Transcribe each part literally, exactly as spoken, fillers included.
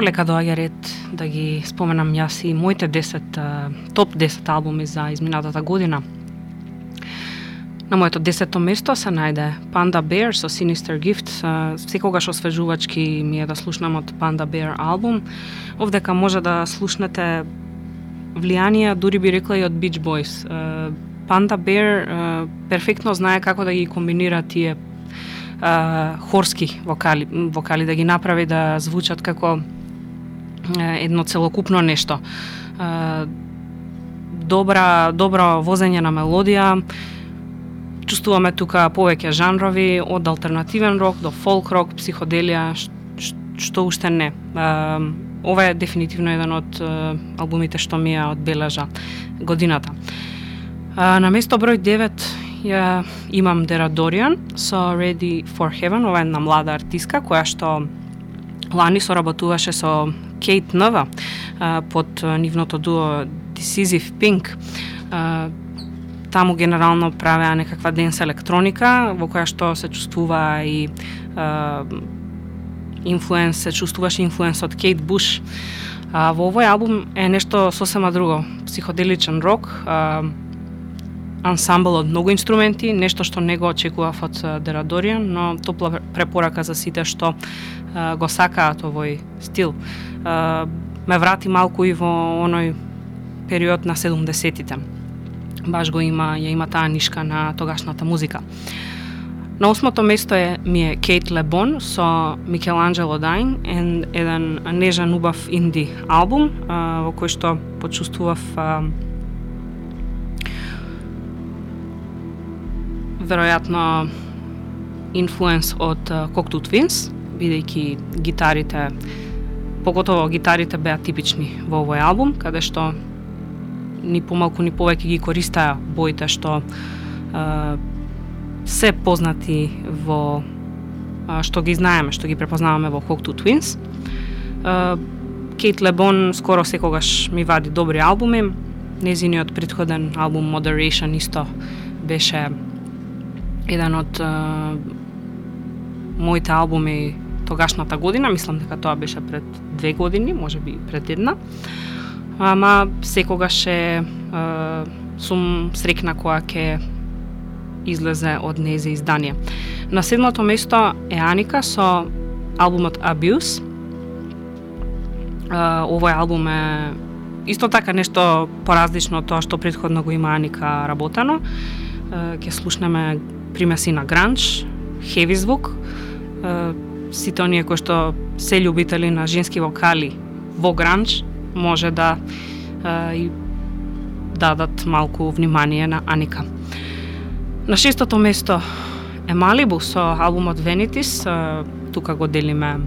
Полека доаѓа ред да ги споменам јас и моите десет, топ десет албуми за изминатата година. На моето десетто место се најде Panda Bear со Sinister Gift. Секогаш освежувачки ми е да слушнам од Panda Bear албум. Овдека може да слушнете влијанија, дури би рекла и од Beach Boys. Panda Bear перфектно знае како да ги комбинира тие хорски вокали, вокали да ги направи да звучат како едно целокупно нешто. Добра, добро возење на мелодија. Чувствуваме тука повеќе жанрови, од алтернативен рок до фолк рок, психоделија, што уште не. Ова е дефинитивно еден од албумите што ми ја одбележа годината. На место број девет ја имам Dera Dorian со Ready for Heaven. Ова е една млада артистка која што лани соработуваше со Кейт Нова под нивното дуо Decisive Pink. Таму генерално правеа некаква денс електроника во која што се чувствува и инфлуенс, се чувствуваше инфлуенс од Кейт Буш. А, во овој албум е нешто сосема друго, психоделичен рок, а, ансамбл од многу инструменти, нешто што не го очекував од Dera Dorian, но топла препорака за сите што а, го сакаат овој стил. А, ме врати малку и во оној период на седумдесетите. Баш го има, ја има таа нишка на тогашната музика. На осмото место е ми е Кейт Лебон со Микеланджело Дайн, еден нежен убав инди албум а, во кој што почувствував а, веројатно инфлуенс од Cocteau Twins, бидејќи гитарите, поготово гитарите беа типични во овој албум, каде што ни помалку ни повеќе ги користаа боите што а, се познати во а, што ги знаеме, што ги препознаваме во Cocteau Twins. А, Кейт Лебон скоро секогаш ми вади добри албуми. Незиниот претходен албум Moderation исто беше еден од а, моите албуми тогашната година. Мислам дека тоа беше пред две години, можеби пред една. Ама секогаш е, а, сум срекна кога ќе излезе од нејзе издание. На седмото место е Аника со албумот Abuse. А, овој албум е исто така нешто поразлично од тоа што претходно го има Аника работено. А, ќе слушнеме примеси на гранж, хеви звук. А, сите оние кои што се љубители на женски вокали во гранж може да а, и дадат малку внимание на Аника. На шестото место е Малибу со албумот Vanities. А, тука го делиме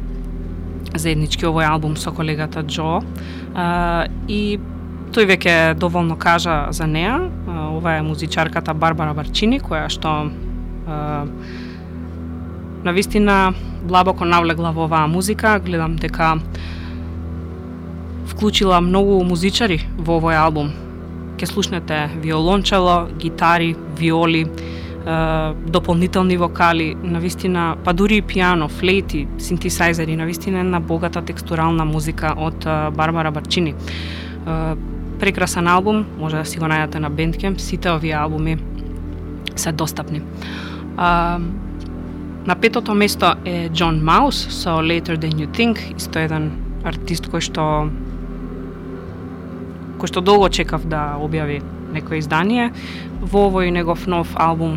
заеднички овој албум со колегата Джо. А, и тој веќе доволно кажа за неа. А, ова е музичарката Барбара Барчини, која што а, навистина длабоко навлегла во оваа музика. Гледам дека вклучила многу музичари во овој албум. Ке слушнете виолончело, гитари, виоли, е, дополнителни вокали, навистина, па дури и пијано, флейти, синтесајзери, навистина една богата текстурална музика од е, Барбара Барчини. Е, прекрасен албум, може да си го најдете на Bandcamp, сите овие албуми се достапни. Е, на петото место е John Mouse со Later Than You Think, исто еден артист кој што кој што долго чекав да објави некој издание. Во овој негов нов албум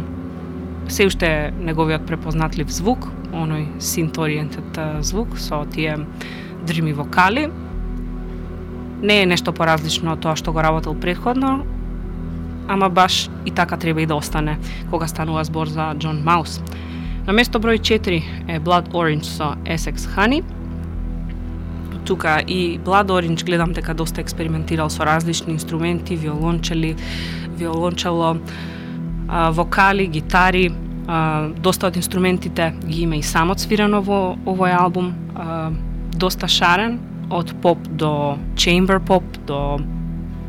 се уште неговиот препознатлив звук, оној synth-oriented звук со тие дрими вокали. Не е нешто поразлично од тоа што го работел претходно, ама баш и така треба и да остане кога станува збор за John Mouse. На место број четири е Blood Orange со Essex Honey. Тука и Blood Orange гледам дека доста експериментирал со различни инструменти, виолончели, виолончело, а, вокали, гитари. А, доста од инструментите ги има и самот свирено во овој албум. А, доста шарен, од поп до chamber pop, до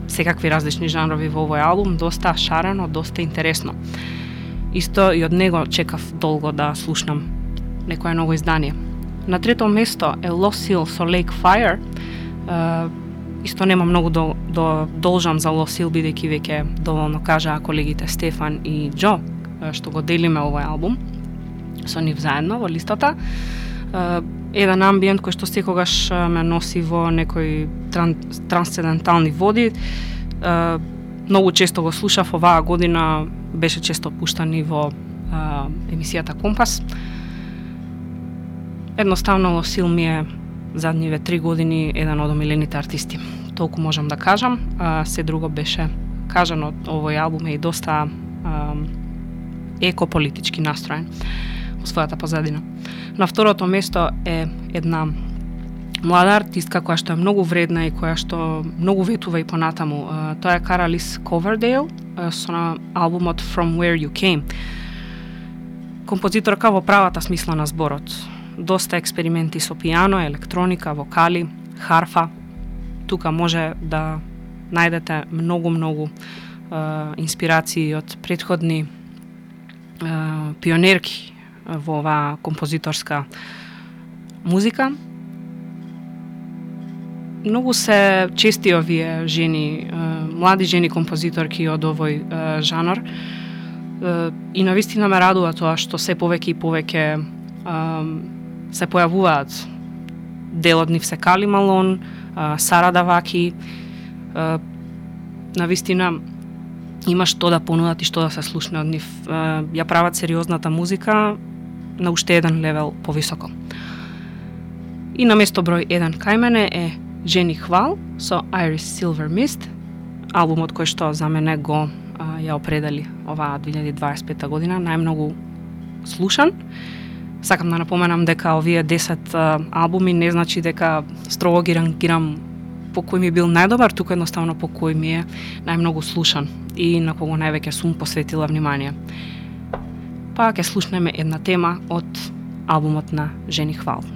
секакви различни жанрови во овој албум. Доста шарено, доста интересно. Исто и од него чекав долго да слушнам некое ново издание. На трето место е Lost Hill со Lake Fire. Uh, исто нема многу до, до должам за Lost Hill, бидејќи веќе доволно кажаа колегите Стефан и Џо, што го делиме овој албум со нив заедно во листата. Uh, еден амбиент кој што секогаш ме носи во некои тран, трансцендентални води. Uh, многу често го слушав, оваа година беше често пуштан и во uh, емисијата Компас. Едноставно Lost Hill ми е задниве три години еден од омилените артисти. Толку можам да кажам. Uh, се друго беше кажано, овој албум е и доста uh, екополитички настроен во својата позадина. На второто место е една млада артистка која што е многу вредна и која што многу ветува и понатаму. Uh, тоа е Каралис Ковердейл uh, со на албумот From Where You Came. Композиторка во правата смисла на зборот. Доста експерименти со пијано, електроника, вокали, харфа. Тука може да најдете многу-многу uh, инспирации од претходни uh, пионерки во оваа композиторска музика. Многу се чести овие жени, млади жени композиторки од овој жанр, и навистина ме радува тоа што се повеќе и повеќе се појавуваат. Дел од нив се Кали Малон, Сара Даваки. Навистина има што да понудат и што да се слушне од нив. Ја прават сериозната музика на уште еден левел повисоко. И на место број еден кај мене е Жени Хвал со Iris Silver Mist, албумот кој што за мене го а, ја определи оваа две илјади дваесет и пета година, најмногу слушан. Сакам да напоменам дека овие десет а, албуми не значи дека строго ги рангирам по кој ми бил најдобар, туку едноставно по кој ми е најмногу слушан и на кого највеќе сум посветила внимание. Па ќе слушнеме една тема од албумот на Жени Хвал.